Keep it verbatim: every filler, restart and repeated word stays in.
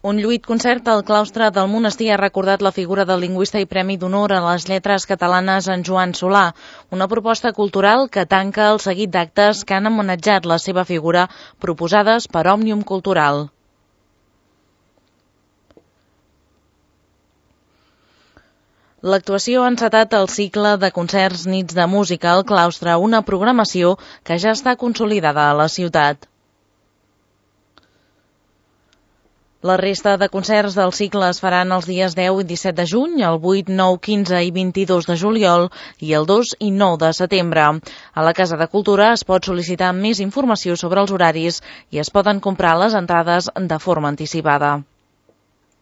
Un lluït concert al claustre del monestir ha recordat la figura del lingüista i Premi d'Honor a les Lletres Catalanes en Joan Solà, una proposta cultural que tanca el seguit d'actes que han homenatjat la seva figura proposades per Òmnium Cultural. L'actuació ha encetat el cicle de concerts Nits de Música al claustre, una programació que ja està consolidada a la ciutat. La resta de concerts del cicle es faran els dies deu i disset de juny, el vuit, nou, quinze i vint-i-dos de juliol i el dos i nou de setembre. A la Casa de Cultura es pot sol·licitar més informació sobre els horaris i es poden comprar les entrades de forma anticipada.